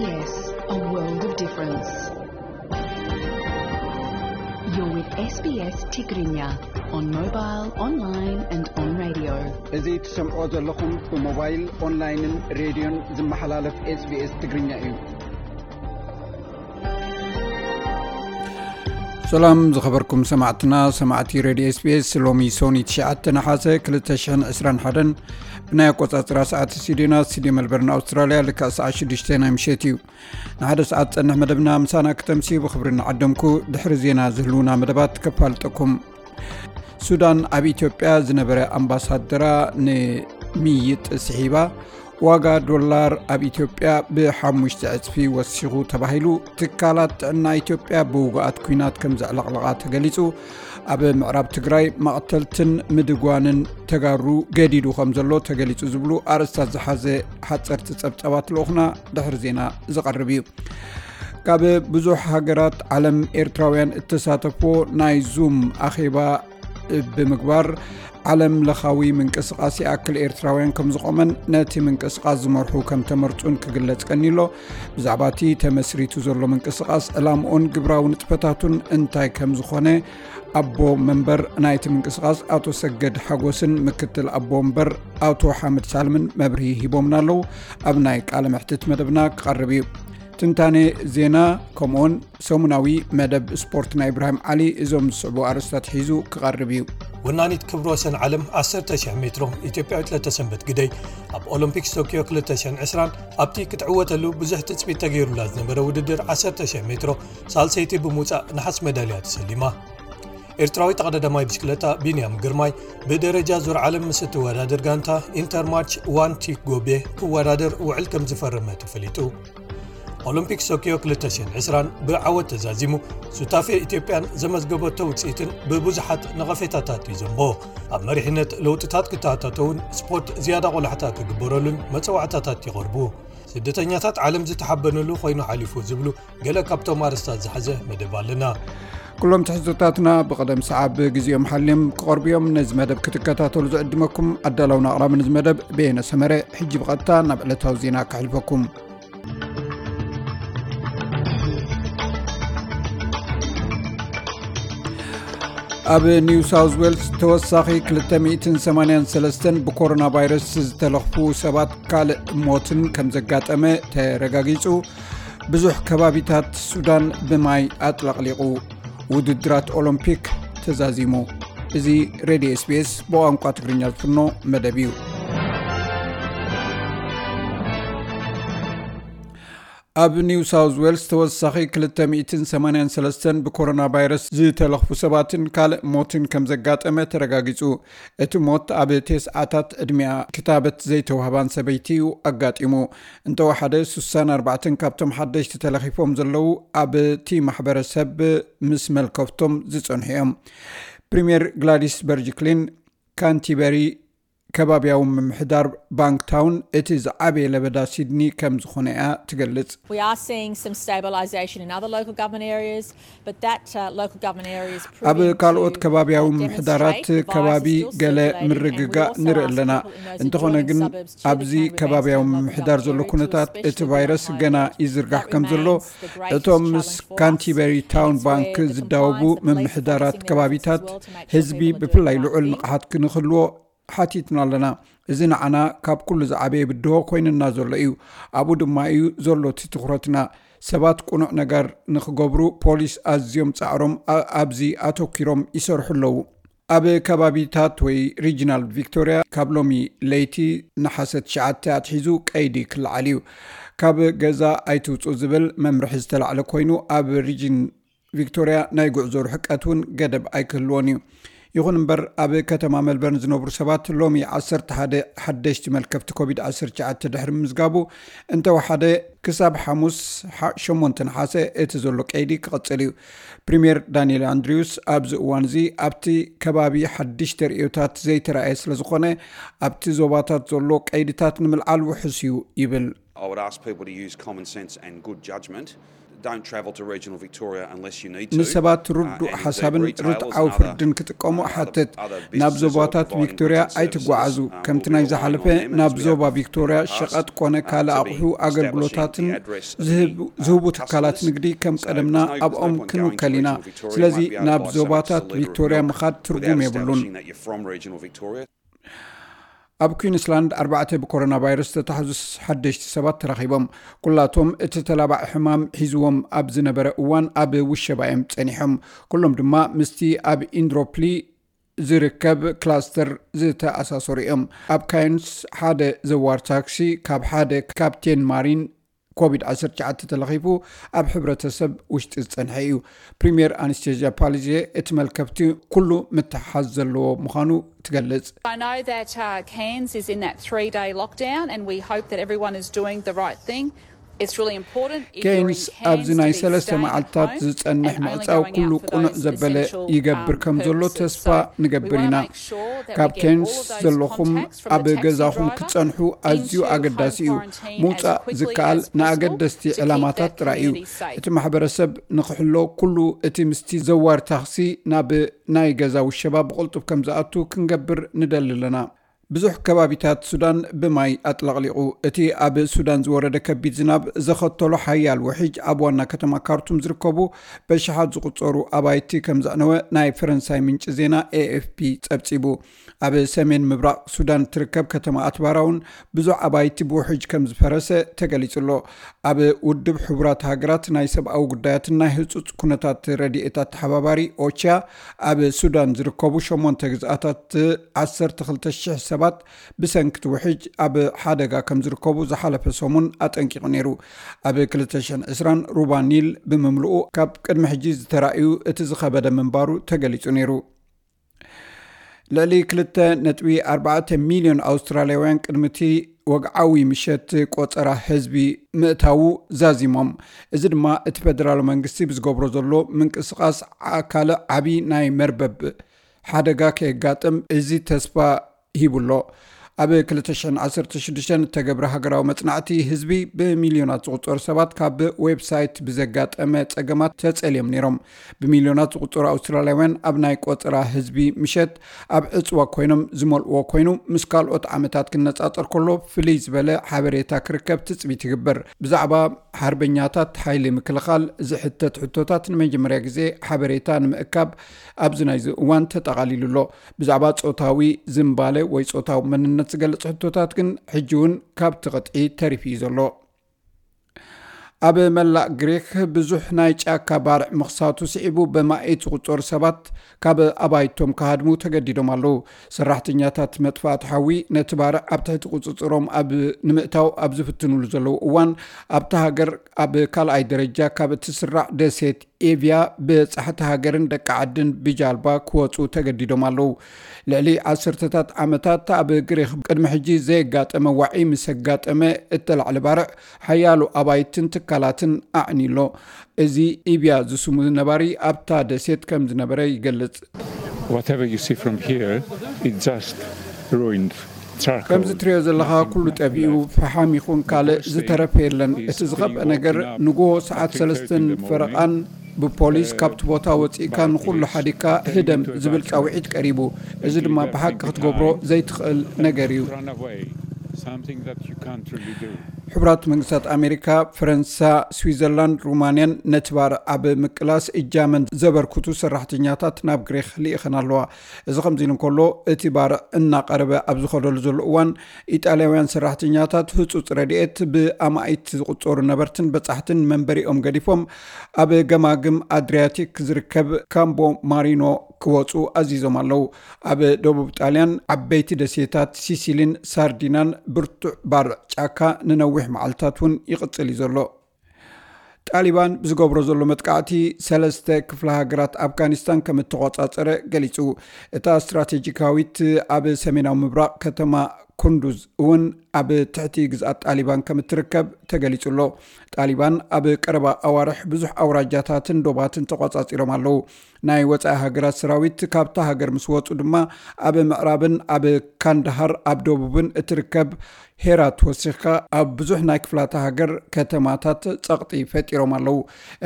Yes, a world of difference. You're with S B S Tigrinya on mobile, online and on radio. እዚ ትሰምዖ ዘለኹም ብሞባይል፣ ኦንላይንን ሬድዮን ዝመሓላለፍ SBS ትግርኛ እዩ። ሰላም ዝኸበርኩም ሰማዕትና፣ ሰማዕቲ ሬድዮ SBS። ሎሚ ሶኒ ትሽዓተ ነሓሰ ክልተ ሽሕን ዕስራን ሓደን ብናይ ኣቆጻጽራ ሰዓት ስቱዲዮና፣ ስቱዲዮ መልበርን ኣውስትራልያ፣ ልክዕ ሰዓት ሽዱሽተ ናይ ምሸት እዩ። ንሓደ ሰዓት ጸንሕ መደብና ምሳና ክተምስዩ ብኽብሪ እናዓደምኩ፣ ድሕሪ ዜና ዝህልውና መደባት ከፋልጠኩም። ሱዳን ኣብ ኢትዮጵያ ዝነበረ ኣምባሳደራ ንምይጥ ስሒባ፣ ዋጋ ዶላር ኣብ ኢትዮጵያ ብሓሙሽተ ዕጽፊ ወሲኹ ተባሂሉ። ትካላት ጥዕና ኢትዮጵያ ብውጉኣት ኲናት ከም ዘዕለቕለቓ ተገሊጹ። ኣብ ምዕራብ ትግራይ መቕተልትን ምድጓንን ተጋሩ ገዲዱ ከም ዘሎ ተገሊጹ ዝብሉ ኣርእስታት ዝሓዘ ሓጸርቲ ጸብጻባት ልኡኽና ድሕሪ ዜና ዝቐርብ እዩ። ካብ ብዙሕ ሃገራት ዓለም ኤርትራውያን እተሳተፍዎ ናይ ዙም ኣኼባ ብምግባር ዓለም ለኻዊ ምንቅስቓስ ይኣክል ኤርትራውያን ከም ዝቖመን ነቲ ምንቅስቓስ ዝመርሑ ከም ተመርጹን ክግለጽ ቀኒሎ። ብዛዕባ እቲ ተመስሪቱ ዘሎ ምንቅስቓስ ዕላምኡን ግብራዊ ንጥፈታቱን እንታይ ከም ዝኾነ ኣቦ መንበር ናይቲ ምንቅስቓስ ኣቶ ሰገድ ሓጎስን ምክትል ኣቦ መንበር ኣቶ ሓመድ ሳልምን መብርሂ ሂቦምና ኣለዉ። ኣብ ናይ ቃለ መሕትት መደብና ክቐርብ እዩ። ትንታኔ ዜና ከምኡውን ሰሙናዊ መደብ ስፖርት ናይ ኢብራሂም ዓሊ እዞም ዝስዕቡ ኣርእስታት ሒዙ ክቐርብ እዩ። ወናኒት ክብረ ወሰን ዓለም ዓሰርተ ሺሕ ሜትሮ ኢትዮጵያዊት ለተሰንበት ግደይ ኣብ ኦሎምፒክስ ቶኪዮ ክልተ ሽሕን ዕስራን ኣብቲ ክትዕወተሉ ብዙሕ ትጽቢት ተገይሩላ ዝነበረ ውድድር ዓሰርተ ሺሕ ሜትሮ ሳልሰይቲ ብምውጻእ ነሓስ መዳልያ ተሰሊማ። ኤርትራዊ ተቐዳዳማይ ብሽክለታ ቢንያም ግርማይ ብደረጃ ዙር ዓለም ምስ እትወዳደር ጋንታ ኢንተርማርች ዋን ቲክ ጎቤ ክወዳደር ውዕል ከም ዝፈረመ ተፈሊጡ። ኦሎምፒክስ ቶኪዮ ክልተ ሽሕን ዕስራን ብዓወት ተዛዚሙ፣ ሱታፌ ኢትዮጵያን ዘመዝገበቶ ውጽኢትን ብብዙሓት ነቐፌታታት እዩ ዘንቦ። ኣብ መሪሕነት ለውጥታት ክተኣታተውን ስፖርት ዝያዳ ቆላሕታ ክግበረሉን መጸዋዕታታት ይቐርቡ። ስደተኛታት ዓለም ዝተሓበነሉ ኮይኑ ሓሊፉ ዝብሉ ገለ ካብቶም ኣርእስታት ዝሓዘ መደብ ኣለና። ኩሎም ትሕዝቶታትና ብቐደም ሰዓብ ግዜኦም ሓልዮም ክቐርቡ እዮም። ነዚ መደብ ክትከታተሉ ዝዕድመኩም ኣዳላውን ኣቕራብን እዚ መደብ በየነ ሰመረ። ሕጂ ብቐጥታ ናብ ዕለታዊ ዜና ከሕልፈኩም። ኣብ ኒው ሳውዝ ዌልስ ተወሳኺ ክልተ ሚእትን ሰማንያን ሰለስተን ብኮሮና ቫይረስ ዝተለኽፉ ሰባት ካልእ ሞትን ከም ዘጋጠመ ተረጋጊጹ። ብዙሕ ከባቢታት ሱዳን ብማይ ኣጥለቕሊቑ። ውድድራት ኦሎምፒክ ተዛዚሙ። እዚ ሬድዮ SBS ብቋንቋ ትግርኛ ዝፍኖ መደብ እዩ። ኣብ ኒው ሳውዝ ዌልስ ተወሳኺ ክልተ ሚእትን ሰማንያን ሰለስተን ብኮሮና ቫይረስ ዝተለኽፉ ሰባትን ካልእ ሞትን ከም ዘጋጠመ ተረጋጊጹ። እቲ ሞት ኣብ ተስዓታት ዕድሚኣ ክታበት ዘይተዋህባን ሰበይቲ እዩ ኣጋጢሙ። እንተወሓደ ስሳን ኣርባዕተን ካብቶም ሓደሽቲ ተለኺፎም ዘለዉ ኣብቲ ማሕበረሰብ ምስ መልከፍቶም ዝጸንሑ እዮም። ፕሪምየር ግላዲስ በርጅክሊን ካንቲበሪ ከባቢያዊ ምምሕዳር ባንክታውን እቲ ዝዓበየ ለበዳ ሲድኒ ከም ዝኾነ እያ ትገልጽ። We are seeing some stabilisation in other local government areas, but that uh, local government areas ኣብ ካልኦት ከባቢያዊ ምምሕዳራት ከባቢ ገለ ምርግጋእ ንርኢ ኣለና። እንተኾነ ግን ኣብዚ ከባቢያዊ ምምሕዳር ዘሎ ኩነታት እቲ ቫይረስ ገና ይዝርጋሕ ከም ዘሎ እቶም ምስ ካንቲበሪ ታውን ባንክ ዝዳወቡ ምምሕዳራት ከባቢታት ህዝቢ ብፍላይ ልዑል ንቕሓት ክንክህልዎ ሓቲትና ኣለና። እዚ ንዓና ካብ ኩሉ ዝዓበየ ብድሆ ኮይንና ዘሎ እዩ። ኣብኡ ድማ እዩ ዘሎ እቲ ትኹረትና። ሰባት ቅኑዕ ነገር ንኽገብሩ ፖሊስ ኣዝዮም ጻዕሮም ኣ- ኣብዚ ኣተኪሮም ይሰርሑ ኣለዉ። ኣብ ከባቢታት ወይ ሪጅናል ቪክቶሪያ ካብ ሎሚ ለይቲ ነሓሰ ትሽዓተ ኣትሒዙ ቀይዲ ክለዓል እዩ። ካብ ገዛ ኣይትውጹ ዝብል መምርሒ ዝተላዕለ ኮይኑ ኣብ ሪጅን ቪክቶሪያ ናይ ጉዕዞ ርሕቀት እውን ገደብ ኣይክህልዎን እዩ። ይኹን እምበር ኣብ ከተማ ሜልበርን ዝነብሩ ሰባት ሎሚ ዓሰርተ ሓደ ሓደሽቲ መልከፍቲ ኮቪድ ዓሰርተ ትሽዓተ ድሕሪ ምምዝጋቡ እንተወሓደ ክሳብ ሓሙስ ሓ- ሸሞንተ ነሓሰ እቲ ዘሎ ቀይዲ ክቕጽል እዩ። ፕሪምየር ዳንኤል ኣንድሪውስ ኣብዚ እዋን እዚ ኣብቲ ከባቢ ሓድሽ ተርእዮታት ዘይተራእየ ስለ ዝኾነ ኣብቲ ዞባታት ዘሎ ቀይድታት ንምልዓል ውሑስ እዩ ይብል። I would ask people to use common sense and good judgment. Don't travel to regional Victoria unless you need to. ንሰባት ርዱእ ሓሳብን ርትዓዊ ፍርድን ክጥቀሙ ሓትት። ናብ ዞባታት ቪክቶርያ ኣይትጓዓዙ። ከምቲ ናይ ዝሓለፈ ናብ ዞባ ቪክቶርያ ሸቐጥ ኮነ ካልእ ኣቑሑ ኣገልግሎታትን ዝህቡ ትካላት ንግዲ ከም ቀደምና ኣብኦም ክንውከል ኢና። ስለዚ ናብ ዞባታት ቪክቶርያ ምኻድ ትርጉም የብሉን። ኣብ ኩዊንስላንድ ኣርባዕተ ብኮሮና ቫይረስ ዝተታሕዙ ሓደሽቲ ሰባት ተረኺቦም። ኩላቶም እቲ ተላባዒ ሕማም ሒዝዎም ኣብ ዝነበረ እዋን ኣብ ውሸባ እዮም ጸኒሖም። ኩሎም ድማ ምስቲ ኣብ ኢንድሮፕሊ ዝርከብ ክላስተር ዝተኣሳሰሩ እዮም። ኣብ ካይንስ ሓደ ዘዋር ታክሲ ካብ ሓደ ካፕቴን ማሪን ኮቪድ ዓሰርተ ትሽዓተ ተለኺፉ ኣብ ሕብረተሰብ ውሽጢ ዝጸንሐ እዩ። ፕሪምየር ኣንስቴዝያ ፓሊዜ እቲ መልከፍቲ ኩሉ ምትሓዝ ዘለዎ ምዃኑ ትገልጽ። I know that uh, Cairns is in that three day lockdown, and we hope that everyone is doing the right thing. It's really important. ኬንስ ኣብዚ ናይ ሰለስተ መዓልታት ዝጸንሕ ምዕጻው ኩሉ ቁኑዕ ዘበለ ይገብር ከም ዘሎ ተስፋ ንገብር ኢና። ካብ ኬንስ ዘለኹም ኣብ ገዛኹም ክትጸንሑ ኣዝዩ ኣገዳሲ እዩ። ምውጻእ ዝከኣል ንኣገደስቲ ዕላማታት ጥራይ እዩ። እቲ ማሕበረሰብ ንክሕሎ ኩሉ እቲ ምስቲ ዘዋር ታኽሲ ናብ ናይ ገዛ ውሸባ ብቕልጡፍ ከም ዝኣቱ ክንገብር ንደሊ ኣለና። ብዙሕ ከባቢታት ሱዳን ብማይ ኣጥለቕሊቑ። እቲ ኣብ ሱዳን ዝወረደ ከቢድ ዝናብ ዘኸተሎ ሓያል ውሕጅ ኣብ ዋና ከተማ ካርቱም ዝርከቡ በሽሓት ዝቑጸሩ ኣባይቲ ከም ዘዕነወ ናይ ፈረንሳይ ምንጪ ዜና ኤኤፍፒ ጸብጺቡ። ኣብ ሰሜን ምብራቕ ሱዳን ትርከብ ከተማ ኣትባራ እውን ብዙሕ ኣባይቲ ብውሕጅ ከም ዝፈረሰ ተገሊጹ ኣሎ። ኣብ ውድብ ሕቡራት ሃገራት ናይ ሰብኣዊ ጉዳያትን ናይ ህጹጽ ኩነታት ረድኤት ኣተሓባባሪ ኦቻ ኣብ ሱዳን ዝርከቡ ሸሞንተ ግዝኣታት ዓሰርተ ክልተ ሽሕ ሰባት ብሰንኪ እቲ ውሕጅ ኣብ ሓደጋ ከም ዝርከቡ ዝሓለፈ ሰሙን ኣጠንቂቑ ነይሩ። ኣብ ክልተ ሽሕን ዕስራን ሩባ ኒል ብምምልኡ ካብ ቅድሚ ሕጂ ዝተራእዩ እቲ ዝኸበደ ምንባሩ ተገሊጹ ነይሩ። ልዕሊ ክልተ ነጥቢ ኣርባዕተ ሚልዮን ኣውስትራልያውያን ቅድሚ እቲ ወግዓዊ ምሸት ቆጸራ ህዝቢ ምእታዉ ዛዚሞም። እዚ ድማ እቲ ፈደራል መንግስቲ ብዝገብሮ ዘሎ ምንቅስቓስ ካልእ ዓቢ ናይ መርበብ ሓደጋ ከየጋጥም እዚ ተስፋ ሂቡ ኣሎ። ኣብ ክልተ ሽሕን ዓሰርተ ሽዱሽተን እተገብረ ሃገራዊ መጽናዕቲ ህዝቢ ብሚልዮናት ዝቑጸሩ ሰባት ካብ ዌብሳይት ብዘጋጠመ ጸገማት ተጸልዮም ነይሮም። ብሚልዮናት ዝቑጸሩ ኣውስትራልያውያን ኣብ ናይ ቆጸራ ህዝቢ ምሸት ኣብ ዕጽዋ ኮይኖም ዝመልእዎ ኮይኑ፣ ምስ ካልኦት ዓመታት ክነጻጸር ከሎ ፍልይ ዝበለ ሓበሬታ ክርከብ ትጽቢት ይግበር። ብዛዕባ ሓርበኛታት ሓይሊ ምክልኻል ዝሕተት ሕቶታት ንመጀመርያ ግዜ ሓበሬታ ንምእካብ ኣብዚ ናይዚ እዋን ተጠቓሊሉ ኣሎ። ብዛዕባ ጾታዊ ዝንባለ ወይ ጾታዊ መንነት ዝገልጽ ሕቶታት ግን ሕጂ እውን ካብቲ ቅጥዒ ተሪፉ እዩ ዘሎ። ኣብ መላእ ግሪክ ብዙሕ ናይ ጫካ ባርዕ ምኽሳቱ ስዒቡ ብማኢት ዝቑጸሩ ሰባት ካብ ኣባይቶም ክሃድሙ ተገዲዶም ኣለዉ። ሰራሕተኛታት መጥፋእቲ ሓዊ ነቲ ባርዕ ኣብ ትሕቲ ቁጽጽሮም ኣብ ንምእታው ኣብ ዝፍትኑሉ ዘለዉ እዋን ኣብታ ሃገር ኣብ ካልኣይ ደረጃ ካብ እትስራዕ ደሴት ኤቪያ በጻሕቲ ሃገርን ደቂ ዓድን ብጃልባ ክወጹ ተገዲዶም ኣለዉ። ልዕሊ ዓሰርተታት ዓመታት ኣብ ግሪክ ቅድሚ ሕጂ ዘየጋጠመ ዋዒ ምስ ኣጋጠመ እተላዕለ ባርዕ ሓያሎ ኣባይትን ትካላትን ኣዕንዩ ኣሎ። እዚ ኢብያ ዝስሙ ነባሪ ኣብታ ደሴት ከም ዝነበረ ይገልጽ። Whatever you see from here, it's just ruined charcoal. ከምዚ ትሪኦ ዘለኻ ኩሉ ጠፊኡ፣ ፈሓም ይኹን ካልእ ዝተረፈ የለን። እቲ ዝኸፍአ ነገር ንጎሆ ሰዓት ሰለስተን ፈረቓን ብፖሊስ ካብቲ ቦታ ወፂእካ ንኹሉ ሓዲካ ህደም ዝብል ፃውዒት ቀሪቡ። እዚ ድማ ብሓቂ ክትገብሮ ዘይትኽእል ነገር እዩ። Run away, something that you can't really do. ሕቡራት መንግስታት ኣሜሪካ፣ ፈረንሳ፣ ስዊዘርላንድ፣ ሩማንያን ነቲ ባርዕ ኣብ ምቅላስ እጃመን ዘበርክቱ ሰራሕተኛታት ናብ ግሪክ ልኢኸን ኣለዋ። እዚ ከምዚ ኢሉ እንከሎ፣ እቲ ባርዕ እናቐረበ ኣብ ዝኸደሉ ዘሎ እዋን፣ ኢጣልያውያን ሰራሕተኛታት ህጹጽ ረድኤት ብኣማኢት ዝቑጸሩ ነበርትን በጻሕትን መንበሪኦም ገዲፎም ኣብ ገማግም ኣድሪያቲክ ዝርከብ ካምቦ ማሪኖ ክወጹ ኣዚዞም ኣለዉ። ኣብ ደቡብ ጣልያን ዓበይቲ ደሴታት ሲሲሊን ሳርዲናን ብርቱዕ ባርዕ ጫካ ንነዊሕ መዓልታት እውን ይቕጽል እዩ ዘሎ። ጣሊባን ብዝገብሮ ዘሎ መጥቃዕቲ ሰለስተ ክፍለ ሃገራት ኣፍጋኒስታን ከም እተቖጻጸረ ገሊጹ። እታ ስትራቴጂካዊት ኣብ ሰሜናዊ ምብራቕ ከተማ ኩንዱዝ እውን ኣብ ትሕቲ ግዝኣት ጣሊባን ከም እትርከብ ተገሊጹ ኣሎ። ጣሊባን ኣብ ቀረባ ኣዋርሕ ብዙሕ ኣውራጃታትን ዶባትን ተቖጻጺሮም ኣለዉ። ናይ ወጻኢ ሃገራት ሰራዊት ካብታ ሃገር ምስ ወጹ ድማ ኣብ ምዕራብን ኣብ ካንዳሃር ኣብ ደቡብን እትርከብ ሄራት ወሲኽካ ኣብ ብዙሕ ናይ ክፍላተ ሃገር ከተማታት ጸቕጢ ፈጢሮም ኣለዉ።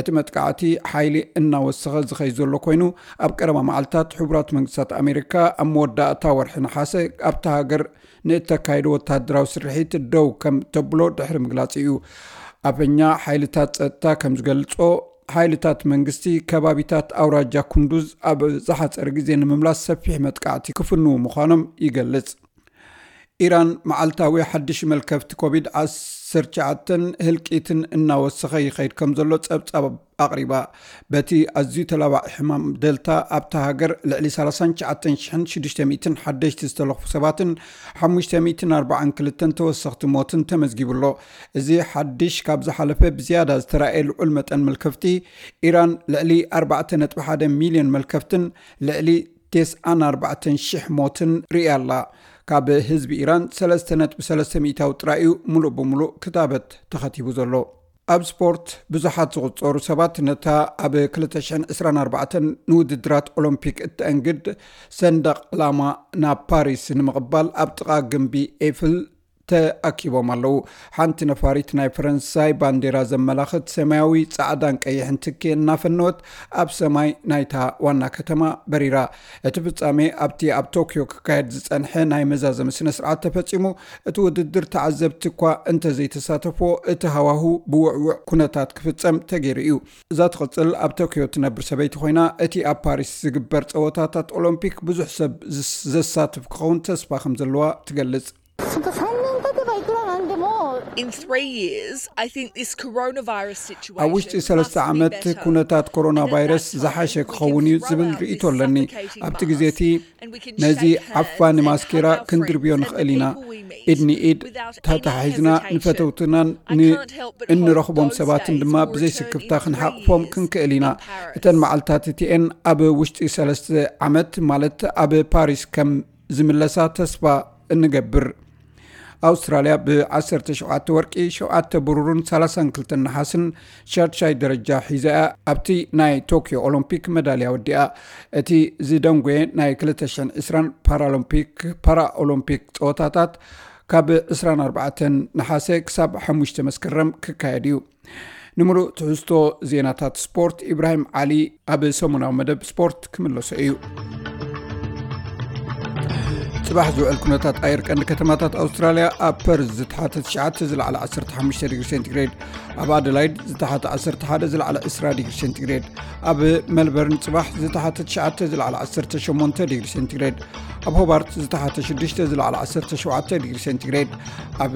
እቲ መጥቃዕቲ ሓይሊ እናወሰኸ ዝኸይ ዘሎ ኮይኑ፣ ኣብ ቀረባ መዓልታት ሕቡራት መንግስታት ኣሜሪካ ኣብ መወዳእታ ወርሒ ነሓሰ ኣብታ ሃገር ንእተካይዶ ወታደራዊ ስርሒት ደው ከም ተብሎ ድሕሪ ምግላጽ እዩ። ኣፈኛ ሓይልታት ጸጥታ ከም ዝገልጾ፣ ሓይልታት መንግስቲ ከባቢታት ኣውራጃ ኩንዱዝ ኣብ ዝሓጸረ ግዜ ንምምላስ ሰፊሕ መጥቃዕቲ ክፍንዉ ምዃኖም ይገልጽ። ኢራን መዓልታዊ ሓድሽ መልከፍቲ ኮቪድ ዓሰርተ ትሽዓተ ህልቂትን እናወሰኸ ይኸይድ ከም ዘሎ ጸብጻብ ኣቕሪባ። በቲ ኣዝዩ ተላባዒ ሕማም ደልታ ኣብታ ሃገር ልዕሊ ሰላሳን ትሽዓተን ሽሕን ሽዱሽተ ሚእትን ሓደሽቲ ዝተለኽፉ ሰባትን ሓሙሽተ ሚእትን ኣርባዓን ክልተን ተወሰኽቲ ሞትን ተመዝጊቡ ኣሎ። እዚ ሓድሽ ካብ ዝሓለፈ ብዝያዳ ዝተራእየ ልዑል መጠን መልከፍቲ፣ ኢራን ልዕሊ ኣርባዕተ ነጥቢ ሓደ ሚልዮን መልከፍትን ልዕሊ ተስዓን ኣርባዕተን ሽሕ ሞትን ርእያ ኣላ። ካብ ህዝቢ ኢራን ሰለስተ ነጥቢ ሰለስተ ሚእታዊ ጥራይ እዩ ሙሉእ ብሙሉእ ክታበት ተኸቲቡ ዘሎ። ኣብ ስፖርት ብዙሓት ዝቑጸሩ ሰባት ነታ ኣብ ክልተ ሽሕን ዕስራን ኣርባዕተን ንውድድራት ኦሎምፒክ እተእንግድ ሰንደቕ ዕላማ ናብ ፓሪስ ንምቕባል ኣብ ጥቓ ግምቢ ኤፍል ተኣኪቦም ኣለዉ። ሓንቲ ነፋሪት ናይ ፈረንሳይ ባንዴራ ዘመላኽት ሰማያዊ፣ ጻዕዳን ቀይሕን ትኪ እናፈነወት ኣብ ሰማይ ናይታ ዋና ከተማ በሪራ። እቲ ፍጻሜ ኣብቲ ኣብ ቶክዮ ክካየድ ዝጸንሐ ናይ መዛዘሚ ስነ ስርዓት ተፈጺሙ። እቲ ውድድር ተዓዘብቲ እኳ እንተዘይተሳተፎ፣ እቲ ሃዋሁ ብውዕውዕ ኩነታት ክፍጸም ተገይሩ እዩ። እዛ ትቕጽል ኣብ ቶክዮ ትነብር ሰበይቲ ኮይና፣ እቲ ኣብ ፓሪስ ዝግበር ጸወታታት ኦሎምፒክ ብዙሕ ሰብ ዝስ-፣ ዘሳትፍ ክኸውን ተስፋ ከም ዘለዋ ትገልጽ። In three years, I think this coronavirus situation ኣብ ውሽጢ ሰለስተ ዓመት ኩነታት ኮሮና ቫይረስ ዝሓሸ ክኸውን እዩ ዝብል ርእይቶ ኣለኒ። ኣብቲ ግዜ እቲ ነዚ ዓፋኒ ማስኬራ ክንድርብዮ ንኽእል ኢና። ኢድ ንኢድ ተተሓሒዝና ንፈተውትናን እንረኽቦም ሰባትን ድማ ብዘይ ስክፍታ ክንሓቕፎም ክንክእል ኢና። እተን መዓልታት እቲኤን ኣብ ውሽጢ ሰለስተ ዓመት፣ ማለት ኣብ ፓሪስ ከም ዝምለሳ ተስፋ እንገብር። ኣውስትራልያ ብ ዓሰርተ ሸውዓተ ወርቂ፣ ሸውዓተ ብሩርን ሰላሳን ክልተን ነሓስን ሻድሻይ ደረጃ ሒዛ እያ ኣብቲ ናይ ቶክዮ ኦሎምፒክ መዳልያ ወዲኣ። እቲ ዝደንጎየ ናይ ክልተ ሽሕን ዕስራን ፓራሎምፒክ፣ ፓራኦሎምፒክ ጸወታታት ካብ ዕስራን ኣርባዕተን ነሓሰ ክሳብ ሓሙሽተ መስከረም ክካየድ እዩ። ንምሉእ ትሕዝቶ ዜናታት ስፖርት፣ ኢብራሂም ዓሊ ኣብ ሰሙናዊ መደብ ስፖርት ክምለሶ እዩ። ጽባሕ ዝውዕል ኩነታት ኣየር ቀንዲ ከተማታት ኣውስትራልያ፣ ኣብ ፐርዝ ዝተሓተ ትሽዓተ ዝለዓለ ዓሰርተ ሓሙሽተ ዲግሪ ሴንቲግሬድ፣ ኣብ ኣደላይድ ዝተሓተ ዓሰርተ ሓደ ዝለዓለ ዕስራ ዲግሪ ሴንቲግሬድ፣ ኣብ መልበርን ጽባሕ ዝተሓተ ትሽዓተ ዝለዓለ ዓሰርተ ሸሞንተ ዲግሪ ሴንቲግሬድ፣ ኣብ ሆባርት ዝተሓተ ሽዱሽተ ዝለዓለ ዓሰርተ ሸውዓተ ዲግሪ ሴንቲግሬድ፣ ኣብ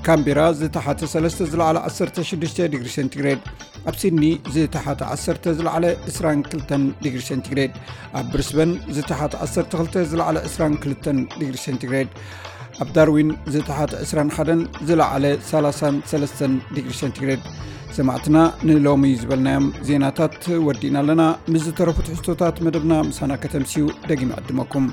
ካምቤራ ዝተሓተ ሰለስተ ዝለዓለ ዓሰርተ ሽዱሽተ ዲግሪ ሴንቲግሬድ፣ ኣብ ሲድኒ ዝተሓተ ዓሰርተ ዝለዓለ ዕስራን ክልተን ዲግሪ ሴንቲግሬድ፣ ኣብ ብሪስበን ዝተሓተ ዓሰርተ ክልተ ዝለዓለ ዕስራን ክልተን ዲግሪ ሴንቲግሬድ፣ ኣብ ዳርዊን ዝተሓተ ዕስራን ሓደን ዝለዓለ ሰላሳን ሰለስተን ዲግሪ ሴንቲግሬድ። ሰማዕትና፣ ንሎሚ ዝበልናዮም ዜናታት ወዲእና ኣለና። ምስ ዝተረፉ ትሕዝቶታት መደብና ምሳና ከተምስዩ ደጊመ ዕድመኩም።